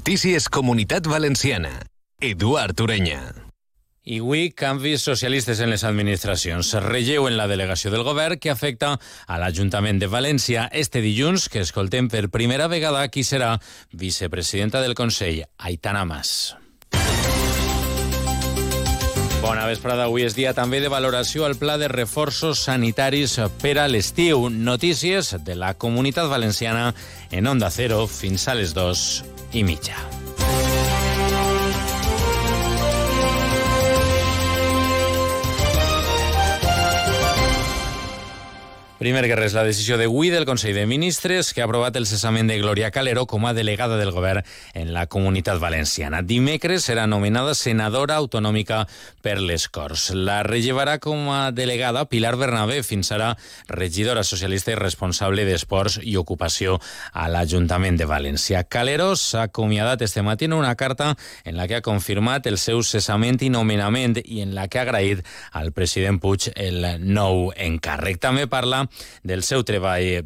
Notícies Comunitat Valenciana. Eduard Ureña. I avui, canvis socialistes en les administracions. Relleu en la delegació del govern que afecta a l'Ajuntament de València. Este dilluns, que escoltem per primera vegada qui serà vicepresidenta del Consell, Aitana Mas. Bona vesprada. Avui és dia també de valoració al pla de reforços sanitaris per a l'estiu. Notícies de la Comunitat Valenciana en Onda Cero fins a les 2:30. Primer que res, la decisió d'avui del Consell de Ministres que ha aprovat el cessament de Glòria Calero com a delegada del govern en la Comunitat Valenciana. Dimecres serà nomenada senadora autonòmica per les Corts. La rellevarà com a delegada Pilar Bernabé, fins ara regidora socialista i responsable d'Esports i Ocupació a l'Ajuntament de València. Calero s'ha acomiadat este matí en una carta en la que ha confirmat el seu cessament i nomenament i en la que ha agraït al president Puig el nou encàrrec. També parla del seu treball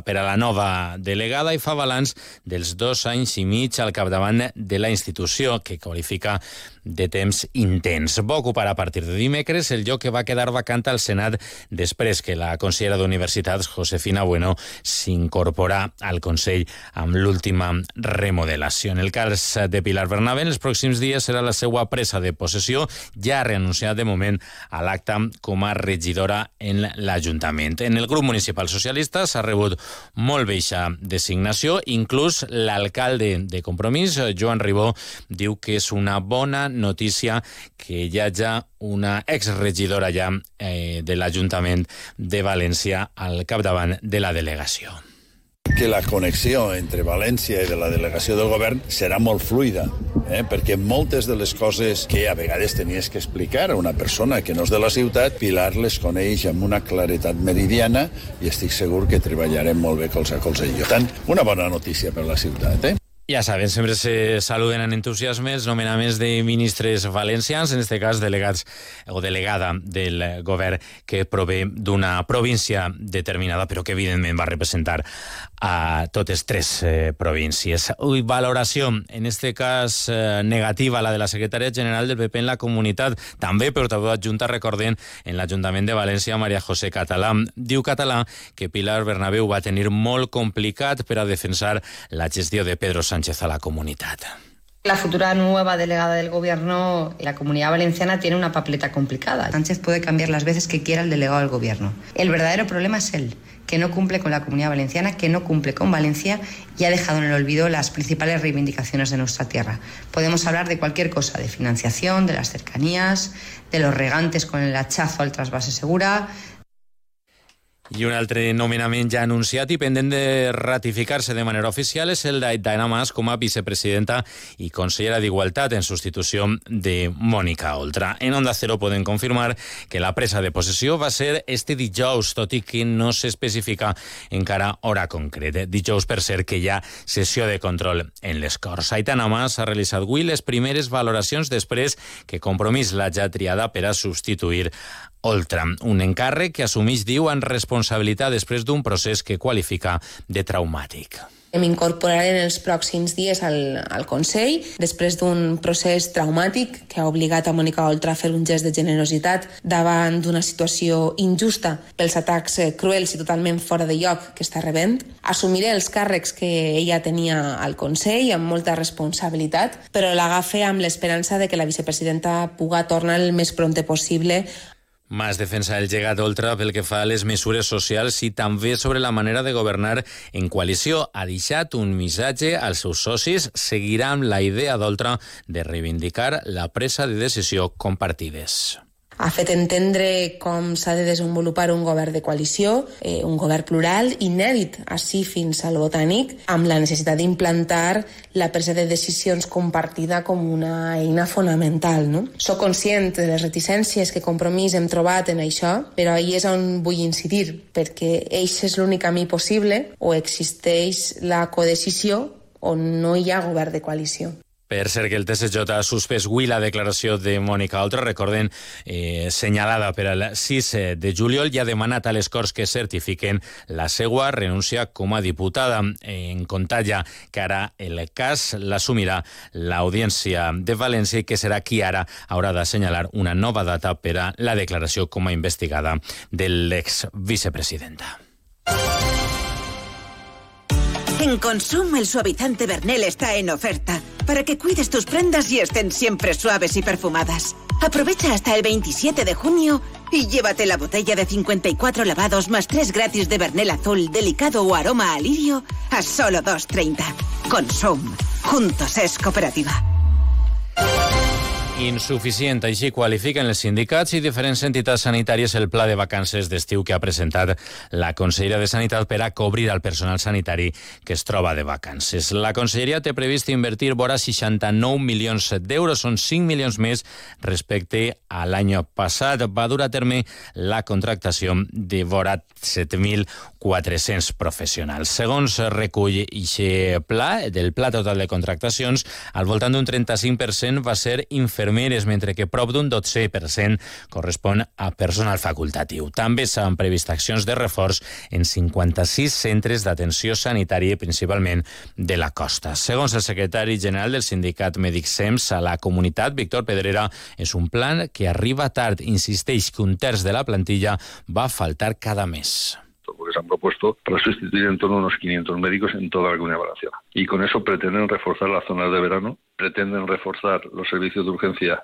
per a la nova delegada i fa balanç dels 2 anys i mig al capdavant de la institució, que qualifica de temps intens. Va ocupar a partir de dimecres el lloc que va quedar vacant al Senat després que la consellera d'Universitats, Josefina Bueno, s'incorporà al Consell amb l'última remodelació. En el cas de Pilar Bernabé, en els pròxims dies serà la seva presa de possessió. Ja ha renunciat de moment a l'acte com a regidora en l'Ajuntament. En el grup municipal socialista s'ha rebut molt baixa designació. Inclús l'alcalde de Compromís, Joan Ribó, diu que és una bona notícia que hi hagi una exregidora ja de l'Ajuntament de València al capdavant de la delegació. Que la connexió entre València i de la delegació del govern serà molt fluida, perquè moltes de les coses que a vegades tenies que explicar a una persona que no és de la ciutat, Pilar les coneix amb una claretat meridiana i estic segur que treballarem molt bé colze a colze. Per tant, una bona notícia per la ciutat. Ja saben, sempre se saluden en entusiasme els nomenaments de ministres valencians, en este cas delegats o delegada del govern que prové d'una província determinada, però que evidentment va representar a totes 3 províncies. Valoració, en este cas negativa, la de la secretària general del PP en la comunitat, també portaveu adjunta, recordem, en l'Ajuntament de València, Maria José Català. Diu Català que Pilar Bernabé va tenir molt complicat per a defensar la gestió de Pedro Sánchez a la comunidad. La futura nueva delegada del gobierno, la Comunidad Valenciana tiene una papeleta complicada. Sánchez puede cambiar las veces que quiera el delegado del gobierno. El verdadero problema es él, que no cumple con la Comunidad Valenciana, que no cumple con Valencia y ha dejado en el olvido las principales reivindicacions de nuestra tierra. Podemos hablar de cualquier cosa, de financiación, de las cercanías, de los regantes con el hachazo al trasvase segura. I un altre nomenament ja anunciat i pendent de ratificar-se de manera oficial és el d'Aitana Mas com a vicepresidenta i consellera d'Igualtat en substitució de Mònica Oltra. En Onda Cero poden confirmar que la presa de possessió va ser este dijous, tot i que no s'especifica encara hora concreta. Dijous, per cert, que hi ha sessió de control en les Corts. Aitana Mas ha realitzat avui les primeres valoracions després que Compromís l'hagi triada per a substituir Oltra, un encàrrec que assumeix, diu, en responsabilitat després d'un procés que qualifica de traumàtic. M'incorporaré en els pròxims dies al Consell, després d'un procés traumàtic que ha obligat a Mònica Oltra a fer un gest de generositat davant d'una situació injusta pels atacs cruels i totalment fora de lloc que està rebent. Assumiré els càrrecs que ella tenia al Consell amb molta responsabilitat, però l'agafe amb l'esperança de que la vicepresidenta puga tornar el més prompte possible. Mas defensa el llegat d'Oltra pel que fa a les mesures socials i també sobre la manera de governar en coalició. Ha deixat un missatge als seus socis. Seguirà amb la idea d'Oltra de reivindicar la presa de decisió compartides. Ha fet entendre com s'ha de desenvolupar un govern de coalició, un govern plural, inèdit, així fins al botànic, amb la necessitat d'implantar la presa de decisions compartida com una eina fonamental. No? Soc conscient de les reticències que Compromís hem trobat en això, però ahí és on vull incidir, perquè eix és l'únic camí possible, o existeix la codecisió o no hi ha govern de coalició. Per cert, que el TSJ ha suspès avui la declaració de Mònica Oltra, recorden, senyalada per al 6 de juliol, i ha demanat a les Corts que certifiquen la seva renúncia com a diputada. En compte ja que ara el cas l'assumirà l'Audiència de València i que serà qui ara haurà d'assenyalar una nova data per a la declaració com a investigada de l'ex-vicepresidenta. En Consum el suavizante Bernel está en oferta para que cuides tus prendas y estén siempre suaves y perfumadas. Aprovecha hasta el 27 de junio y llévate la botella de 54 lavados más 3 gratis de Bernel azul, delicado o aroma a lirio a solo 2,30. Consum. Juntos es cooperativa. Insuficient, així qualifiquen els sindicats i diferents entitats sanitàries el pla de vacances d'estiu que ha presentat la Conselleria de Sanitat per a cobrir el personal sanitari que es troba de vacances. La Conselleria té previst invertir vora 69 milions d'euros, són 5 milions més respecte a l'any passat. Va dur a terme la contractació de vora 7.400 professionals. Segons recull aquest pla, del pla total de contractacions, al voltant d'un 35% va ser infermeres, mentre que prop d'un 12% correspon a personal facultatiu. També s'han previst accions de reforç en 56 centres d'atenció sanitària, principalment de la costa. Segons el secretari general del sindicat Mèdic SEMS a la comunitat, Víctor Pedrera, és un plan que arriba tard. Insisteix que un terç de la plantilla va faltar cada mes. Porque se han propuesto para sustituir en torno a unos 500 médicos en toda la Comunidad Valenciana. Y con eso pretenden reforzar las zonas de verano, pretenden reforzar los servicios de urgencia,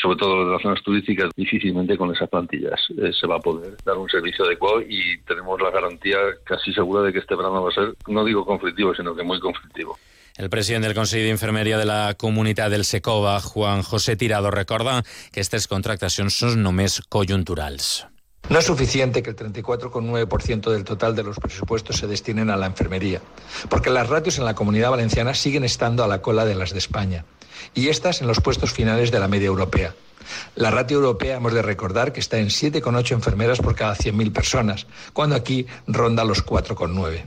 sobre todo los de las zonas turísticas. Difícilmente con esas plantillas se va a poder dar un servicio adecuado y tenemos la garantía casi segura de que este verano va a ser, no digo conflictivo, sino que muy conflictivo. El president del Consell d'Infermeria de la Comunitat del Secova, Juan José Tirado, recorda que aquestes contractacions són només conjunturals. No es suficiente que el 34,9% del total de los presupuestos se destinen a la enfermería, porque las ratios en la Comunidad Valenciana siguen estando a la cola de las de España, y estas en los puestos finales de la media europea. La ratio europea hemos de recordar que está en 7,8 enfermeras por cada 100.000 personas, cuando aquí ronda los 4,9.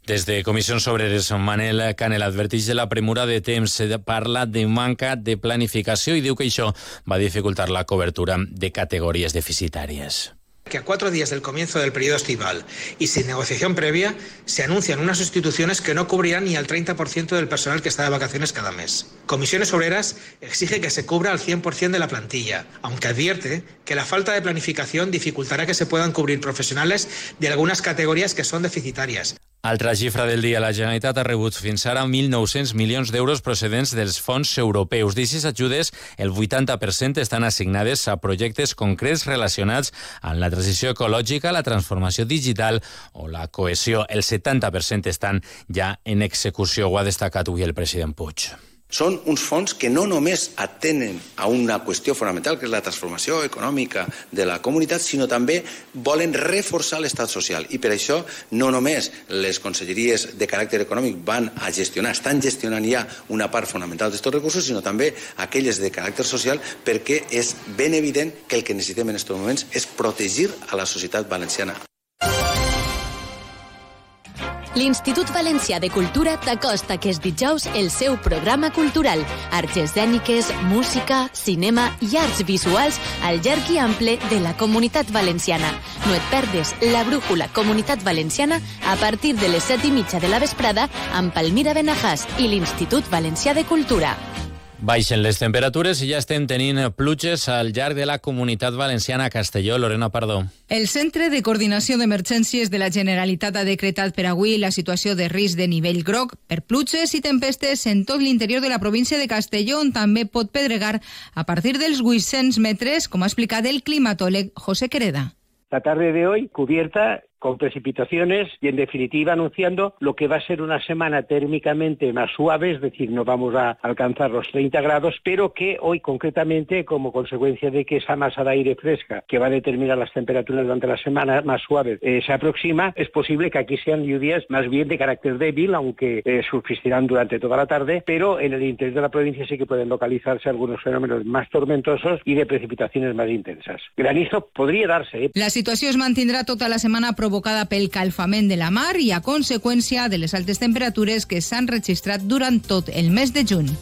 Des de Comissions Obreres, Manel Canel adverteix de la premura de temps, parla de manca de planificació i diu que això va dificultar la cobertura de categories deficitàries. Que a 4 días del comienzo del periodo estival y sin negociación previa se anuncian unas sustituciones que no cubrirán ni al 30% del personal que está de vacaciones cada mes. Comisiones Obreras exige que se cubra al 100% de la plantilla, aunque advierte que la falta de planificación dificultará que se puedan cubrir profesionales de algunas categorías que son deficitàries. Altra xifra del dia, la Generalitat ha rebut fins ara 1.900 milions d'euros procedents dels fons europeus. D'aquestes ajudes, el 80% estan assignades a projectes concrets relacionats amb la transició ecològica, la transformació digital o la cohesió. El 70% estan ja en execució, ho ha destacat avui el president Puig. Són uns fons que no només atenen a una qüestió fonamental, que és la transformació econòmica de la comunitat, sinó també volen reforçar l'estat social. I per això no només les conselleries de caràcter econòmic van a gestionar, estan gestionant ja una part fonamental d'aquests recursos, sinó també aquelles de caràcter social, perquè és ben evident que el que necessitem en aquests moments és protegir a la societat valenciana. L'Institut Valencià de Cultura t'acosta aquest dijous el seu programa cultural. Arts escèniques, música, cinema i arts visuals al llarg i ample de la Comunitat Valenciana. No et perdes la brújula Comunitat Valenciana a partir de les 7:30 de la vesprada amb Palmira Benajàs i l'Institut Valencià de Cultura. Baixen les temperatures i ja estem tenint pluges al llarg de la Comunitat Valenciana. Castelló, Lorena Pardo. El Centre de Coordinació d'Emergències de la Generalitat ha decretat per avui la situació de risc de nivell groc per pluges i tempestes en tot l'interior de la província de Castelló, on també pot pedregar a partir dels 800 metres, com ha explicat el climatòleg José Quereda. La tarde de hoy cubierta con precipitaciones y, en definitiva, anunciando lo que va a ser una semana térmicamente más suave, es decir, no vamos a alcanzar los 30 grados, pero que hoy, concretamente, como consecuencia de que esa masa de aire fresca que va a determinar las temperaturas durante la semana más suaves se aproxima, es posible que aquí sean lluvias más bien de carácter débil, aunque subsistirán durante toda la tarde, pero en el interior de la provincia sí que pueden localizarse algunos fenómenos más tormentosos y de precipitaciones más intensas. Granizo podría darse. La situació es mantindrà tota la setmana provocada provocada pel calfament de la mar i a conseqüència de les altes temperatures que s'han registrat durant tot el mes de juny.